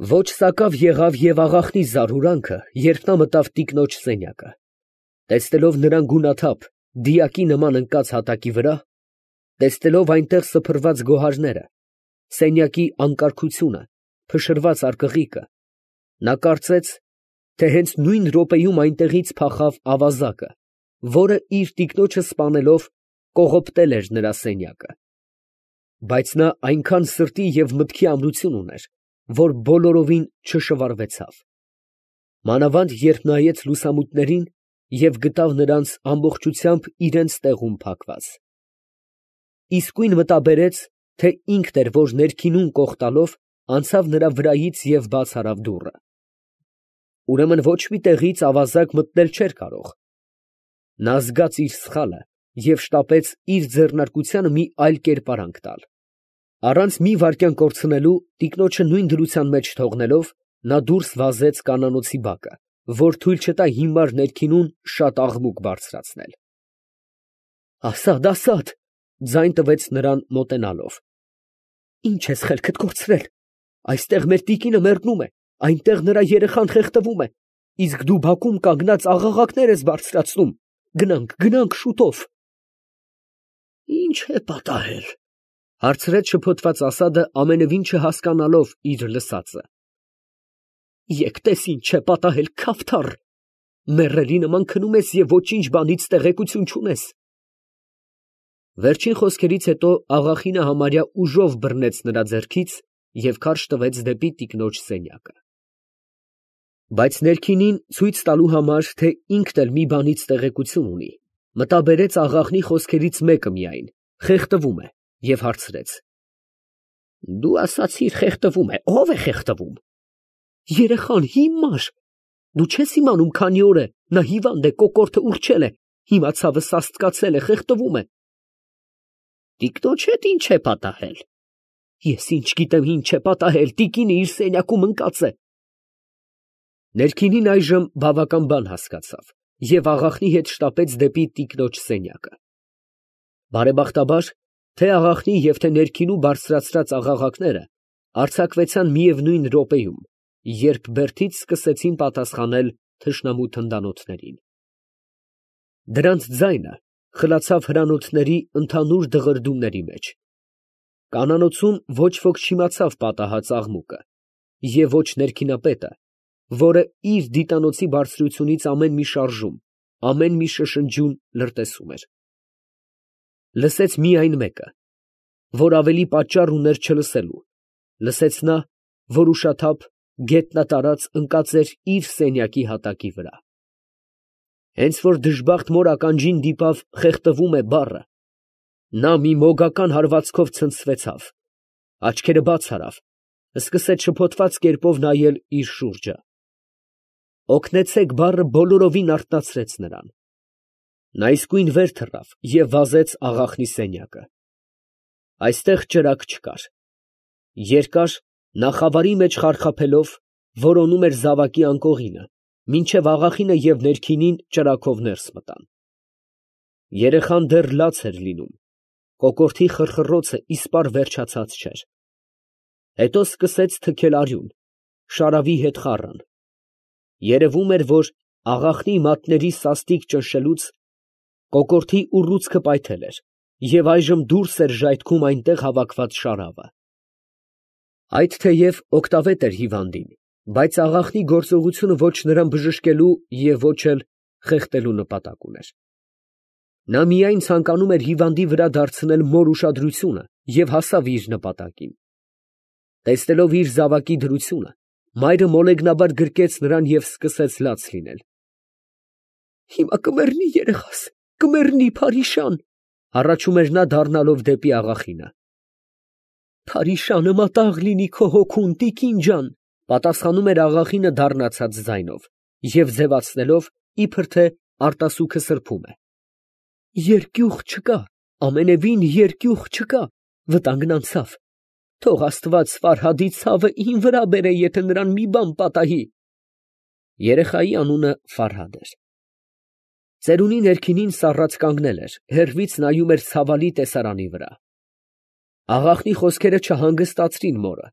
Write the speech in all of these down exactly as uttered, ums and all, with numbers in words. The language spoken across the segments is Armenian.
Ոչ սակավ եղավ և աղախնի զարհուրանքը, երբ նա մտավ տիկնոջ սենյակը, տեսնելով նրան գունաթափ, դիակի նման ընկած հատակի վրա, տեսնելով այնտեղ սփռված գոհարները, սենյակի անկարգությունը, փշրված արկղիկը, նա կարծեց, թե հենց նույն րոպեում այնտեղից փախավ ավազակը, որը իր տիկնոջը սպանելով կողոպտել էր նրա սենյակը. բայց նա այնքան սրտի և մտքի ամրություն ուներ, որ բոլորովին չշվարվեցավ, մանավանդ երբ նայեց լուսամուտներին և գտավ նրանց ամբողջությամբ իրանց տեղում փակված. իսկույն մտաբերեց, թե ինքն էր, որ ներքինում կող տալով անցավ նրա վրայից և բաց արավ դուռը. ուրեմն ոչ մի տեղից ավազակ մտնել չէր կարող. նա զգաց իր սխալը և շտապեց իր ձեռնարկությանը մի այլ կերպարանք տալ. առանց մի վայրկյան կորցնելու, տիկնոջը նույն դրության մեջ թողնելով, նա դուրս վազեց կանանոցի բակը, որ թույլ չտա հիմար ներքինուն շատ աղմուկ բարձրացնել։ «Ասա՛դ, ասա՛դ», ձայն տվեց նրան մոտենալով, «ի՞նչ ես խելքդ կորցրել. այստեղ մեր տիկինը մեռնում է, այնտեղ նրա երեխան խեղդվում է, իսկ դու բակում կանգնած աղաղակներ ես բարձրացնում. գնանք, գնանք շուտով»։ «Ի՞նչ է պատահել», հարցրեց շփոթված Ասադը, ամենևին չհասկանալով իր լսածը։ «Եկ տես ինչ է պատահել, քավթառ. մեռելի նման քնում ես և ոչինչ բանից տեղեկություն չունես»։ Վերջին խոսքերից հետո աղախինը համարյա ուժով բռնեց նրա ձեռքից և քարշ տվեց դեպի տիկնոջ սենյակը։ Բայց ներքինին ցույց տալու համար, թե ինքն էլ մի բանից տեղեկություն ունի, մտաբերեց աղախնի խոսքերից մեկը միայն, խեղդվում է, և հարցրեց. «Դու ասացիր խեղդվում է, ո՞վ է խեղդվում»։ «Երեխան, հիմար, դու չես իմանում քանի օր է, նա հիվանդ է, կոկորդը ուռչել է, հիմա ցավը սաստկացել է, խեղդվում է»։ «Տիկնոջ հետ ի՞նչ է պատահել»։ «Ես ինչ գիտեմ ինչ է պատահել, տիկինը իր սենյակում ընկած է»։ Ներքինին այժմ բավական բան հասկացավ և աղախնի հետ շտապեց դեպի տիկնոջ սենյակը։ Բարեբախտաբար, թե աղախնի և թե ներքինու բարձրացրած աղաղակները արձակվեցան միևնույն րոպեում, երբ բերդից սկսեցին պատասխանել թշնամու թնդանոթներին։ Դրանց ձայնը խլացավ հրանոթների ընդհանուր դղրդյունների մեջ։ Կանանոցում ոչ ոք չիմացավ պատահած աղմուկը, և ոչ ներքինապետը, որը իր դիտանոցի բարձրությունից ամեն մի շարժում, ամեն մի շշնջյուն լրտեսում էր։ Լսեց միայն մեկը, որ ավելի պատճառ ուներ չլսելու, լսեց նա, որ ուշաթափ, գետնատարած ընկած էր իր սենյակի հատակի վրա։ Հենց որ դժբախտ մոր ականջին դիպավ «խեղդվում է» բառը, նա մի մոգական հարվածքով ցնցվեցավ, աչքերը բաց արավ, սկսեց շփոթված կերպով նայել իր շուրջը։ «Օգնեցե՛ք» բառը բոլորովին արթնացրեց նրան։ Նա իսկույն վեր թռավ և վազեց աղախնի սենյակը։ Այստեղ ճրագ չկար։ Երկար, նա խավարի մեջ խարխափելով, որոնում էր զավակի անկողինը, մինչև աղախինը և ներքինին ճրագով ներս մտան։ Երեխան դեռ լաց էր լինում, կոկորդի խռխռոցը իսպառ վերջացած չէր։ Հետո սկսեց թքել արյուն, շարավի հետ խառն։ Երևում էր, որ աղախնի մատների սաստիկ ճնշելուց կոկորդի ուռուցքը պայթել էր և այժմ դուրս էր ժայթքում այնտեղ հավաքված շարավը։ Այդ թեև օգտավետ էր հիվանդին, բայց աղախնի գործողությունը ոչ նրան բժշկելու և ոչ էլ խեղդելու նպատակ ուներ։ Նա միայն ցանկանում էր հիվանդի վրա դարձնել մոր ուշադրությունը և հասավ իր նպատակին։ Տեսնելով իր զավակի դրությունը, մայրը մոլեգնաբար գրկեց նրան և սկսեց լաց լինել։ «Հիմա կմեռնի երեխաս, կմեռնի, փարիշան», հառաչում էր նա դառնալով դեպի աղախինը։ «Փարիշանը մատաղ լինի քո հոգուն, տիկին ջան», պատասխանում էր աղախինը դառնացած ձայնով և ձևացնելով, իբր թե արտասուքը սրբում է։ «Երկյուղ չկա, ամենևին երկյուղ չկա, վտանգն անցավ։ Թող Աստված Ֆարհադի ցավը իմ վրա բերե, եթե նրան մի բան պատահի»։ Երեխայի անունը Ֆարհադ էր։ Ծերունի ներքինին սառած կանգնել էր, հեռվից նայում էր ցավալի տեսարանի վրա։ Աղախնի խոսքերը չհանգստացրին մորը,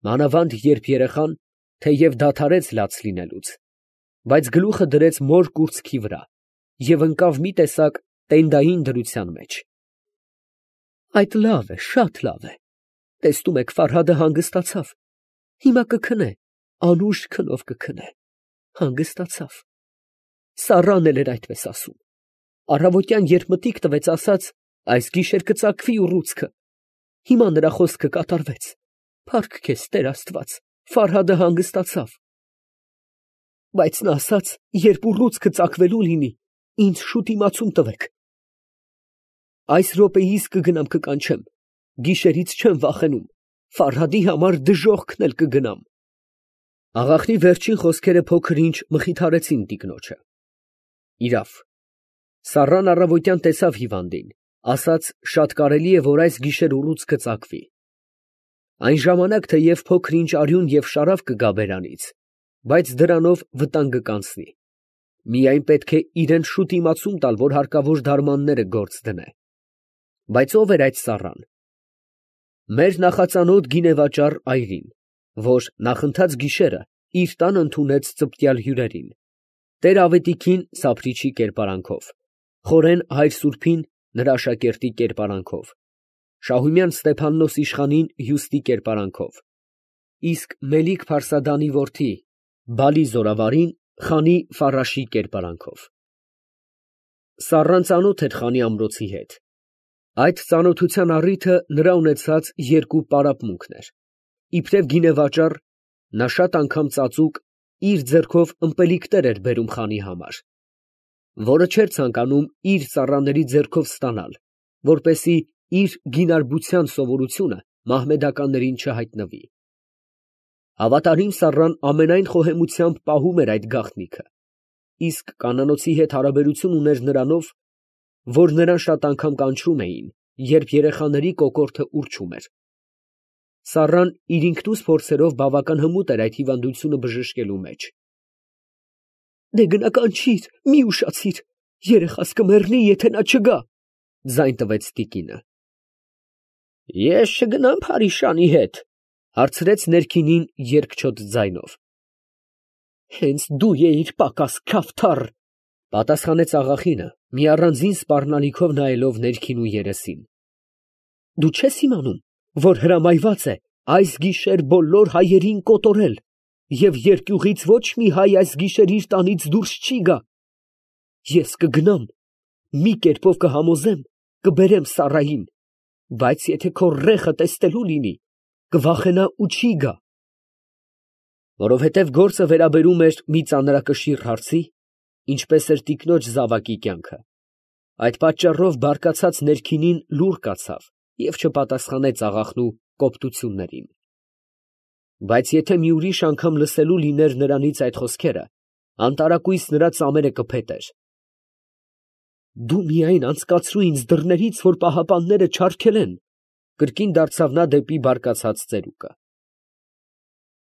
մանավանդ երբ երեխան, թեև դադարեց լաց լինելուց, բայց գլուխը դրեց մոր կուրծքի վրա և ընկավ մի տեսակ տենդային դրության մեջ։ Այդ լավ է, շատ լավ է, տեսնում եք, Ֆարհադը հանգստացավ, հիմա կքնե, անուշ քնով կքնե, հանգստացավ։ Սառան էլ էր այդպես ասում, առավոտյան երբ մտիկ տվեց, ասաց, այս գիշեր կծագվի ուռուցքը, հիմա նրա խոսքը կատարվեց, փառք քեզ, Տեր Աստված, Ֆարհադը հանգստացավ։ Բայց նա ասաց, երբ ուռուցքը ծագվելու լինի, ինձ շուտ իմացում տվեք։ Այս րոպեիս կգնամ կկանչեմ, գիշերից չեմ վախենում, Ֆարհադի համար դժոխքն էլ կգնամ։ Աղախնի վերջին խոսքերը փոքր ինչ մխիթարեցին տիկնոջը։ Իրավ, Սառան առավոտյան տեսավ հիվանդին, ասաց, շատ կարելի է, որ այս գիշեր ուռուցքը ծագվի։ Այն ժամանակ թեև փոքր ինչ արյուն և շարավ կգա բերանից, բայց դրանով վտանգը կանցնի։ Միայն պետք է իրան շուտ իմացում տալ, որ հարկավոր դարմանները գործ դնե։ Բայց ո՞վ էր այդ Սառան։ Մեր նախածանոթ գինեվաճառ այրին, որ նախընթաց գիշերը իր տան ընդունեց ծպտյալ հյուրերին, Տեր Ավետիքին Սափրիչի կերպարանքով, Խորեն հայր սուրբին նրա աշակերտի կերպարանքով, Շահումյան Ստեփաննոս իշխանին հյուստի կերպարանքով, իսկ Մելիք Փարսադանի որդի Բալի զորավարին խանի Ֆարաշի կերպարանքով։ Սառան ծանոթ էր խանի ամրոցի հետ։ Այդ ծանոթության առիթը նրա ունեցած երկու պարապմունքն էր. իբրև գինեվաճառ, նա շատ անգամ ծածուկ իր ձեռքով ըմպելիքներ էր բերում խանի համար, որը չէր ցանկանում իր ծառաների ձեռքով ստանալ, որպեսզի իր գինարբության սովորությունը մահմեդականներին չհայտնվի։ Հավատարիմ Սառան ամենայն խոհեմությամբ պահում էր այդ գաղտնիքը, իսկ կանանոցի հետ հարաբերություն ուներ նրանով, որ նրան շատ անգամ կանչում էին, երբ երեխաների կոկորդը ուռչում էր։ Սառան իր ինքնուս փորձերով բավական հմուտ էր այդ հիվանդությունը բժշկելու մեջ։ Դե գնա կանչիր, մի ուշացիր, երեխաս կմեռնի, եթե նա չգա, ձայն տվեց տիկինը։ Ես չգնամ Փարիշանի հետ, հարցրեց ներքինին երկչոտ ձայնով։ Հենց դու էիր պակաս քավթառ, պատասխանեց աղախինը, մի առանձին սպառնալիքով նայելով ներքինու երեսին։ Դու չես իմանում, որ հրամայված է այս գիշեր բոլոր հայերին կոտորել, և երկյուղից ոչ մի հայ այս գիշեր իր տանից դուրս չի գա։ Ես կգնամ, մի կերպով կհամոզեմ, կբերեմ Սառային, բայց եթե քո ռեխը տեսնելու լինի, կվախենա ու չի գա։ Որովհետև գործը վերաբերում էր մի ծանրակշիռ հարցի, ինչպես էր տիկնոջ զավակի կյանքը, այդ պատճառով բարկացած ներքինին լուռ կացավ և չպատասխանեց աղախնու կոպտություններին։ Բայց եթե մի ուրիշ անգամ լսելու լիներ նրանից այդ խոսքերը, անտարակույս նրա ծամերը կփետեր։ Դու միայն անցկացրու ինձ դռներից, որ պահապանները չարգելեն, կրկին դարձավ նա դեպի բարկացած ծերուկը։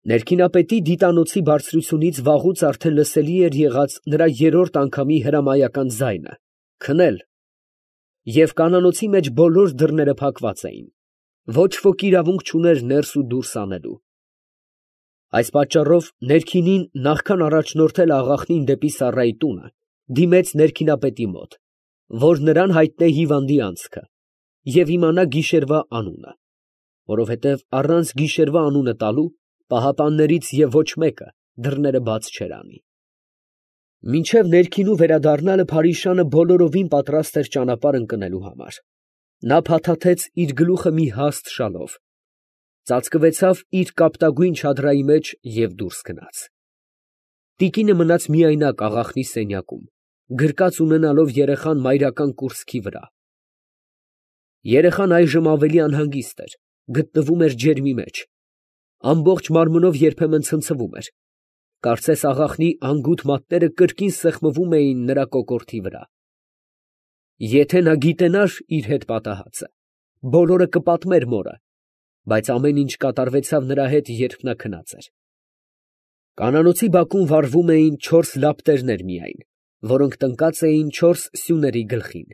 Ներքինապետի դիտանոցի բարձրությունից վաղուց արդեն լսելի էր եղած նրա երրորդ անգամի հրամայական ձայնը՝ քնել, և կանանոցի մեջ բոլոր դռները փակված էին, ոչ ոք իրավունք չուներ ներս ու դուրս անելու։ Այս պատճառով ներքինին, նախքան առաջնորդել աղախնին դեպի Սառայի տունը, դիմեց ներքինապետի մոտ, որ նրան հայտնե հիվանդի անցքը և իմանա գիշերվա անունը, որովհետև առանց գիշերվա անունը տալու պահապաններից և ոչ մեկը դռները բաց չէր անի։ Մինչև ներքինու վերադառնալը Փարիշանը բոլորովին պատրաստ էր ճանապարհ ընկնելու համար։ Նա փաթաթեց իր գլուխը մի հաստ շալով, ծածկվեցավ իր կապտագույն չադրայի մեջ և դուրս գնաց։ Տիկինը մնաց միայնակ աղախնի սենյակում, գրկած ունենալով երեխան մայրական կուրծքի վրա։ Երեխան այժմ ավելի անհանգիստ էր, գտնվում էր ջերմի մեջ, ամբողջ մարմնով երբեմն ցնցվում էր, կարծես աղախնի անգութ մատները կրկին սեղմվում էին նրա կոկորդի վրա։ Եթե նա գիտենար իր հետ պատահածը, բոլորը կպատմեր մորը, բայց ամեն ինչ կատարվեցավ նրա հետ, երբ նա քնած էր։ Կանանոցի բակում վառվում էին չորս լապտերներ միայն, որոնք տնկած էին չորս սյուների գլխին,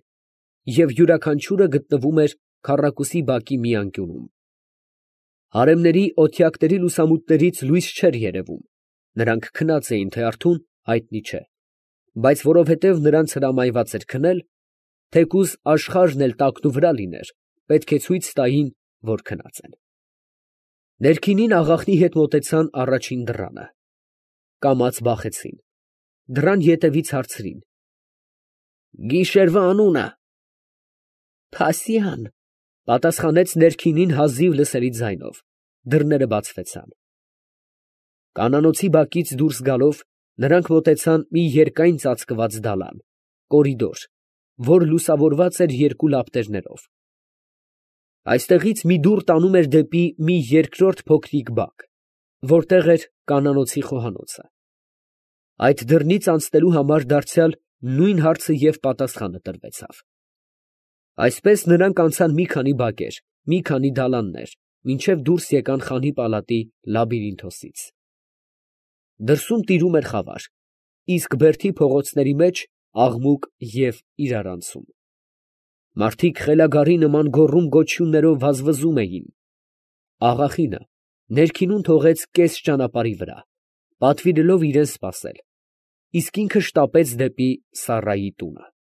և յուրաքանչյուրը գտնվում էր քառակուսի բակի մի անկյունում։ Հարեմների օթյակների լուսամուտներից լույս չէր երևում, Նրանք քնած էին, թե արթուն, հայտնի չէ, բայց որովհետև նրանց հրամայված էր քնել, թեկուզ աշխարհն էլ տակնուվրա լիներ, պետք է ցույց տային, որ քնած են։ Ներքինին աղախնի հետ մոտեցան առաջին դռանը, կամաց բախեցին, դռան ետևից հարցրին. «Գիշերվա անունը»։ «Փասյան», պատասխանեց ներքինին հազիվ լսելի ձայնով, դռները բացվեցան։ Կանանոցի բակից դուրս գալով, նրանք մոտեցան մի երկայն ծածկված դալան, կորիդոր, որ լուսավորված էր երկու լապտերներով։ Այստեղից մի դուռ տանում էր դեպի մի երկրորդ փոքրիկ բակ, որտեղ էր կանանոցի խոհանոցը։ Այդ դռնից անցնելու համար դարձյալ նույն հարցը և պատասխանը տրվեցավ։ Այսպես նրանք անցան մի քանի բակեր, մի քանի դալաններ, մինչև դուրս եկան Խանի պալատի լաբիրինթոսից։ Դրսում տիրում էր խավար, իսկ բերդի փողոցների մեջ աղմուկ և իրարանցում։ Մարդիկ խելագարի նման գոռում֊գոչյուններով վազվզում էին։ Աղախինը ներքինում թողեց կես ճանապարհի վրա, պատվիրելով իրան սպասել, իսկ ինքը շտապեց դեպի Սառայի տունը։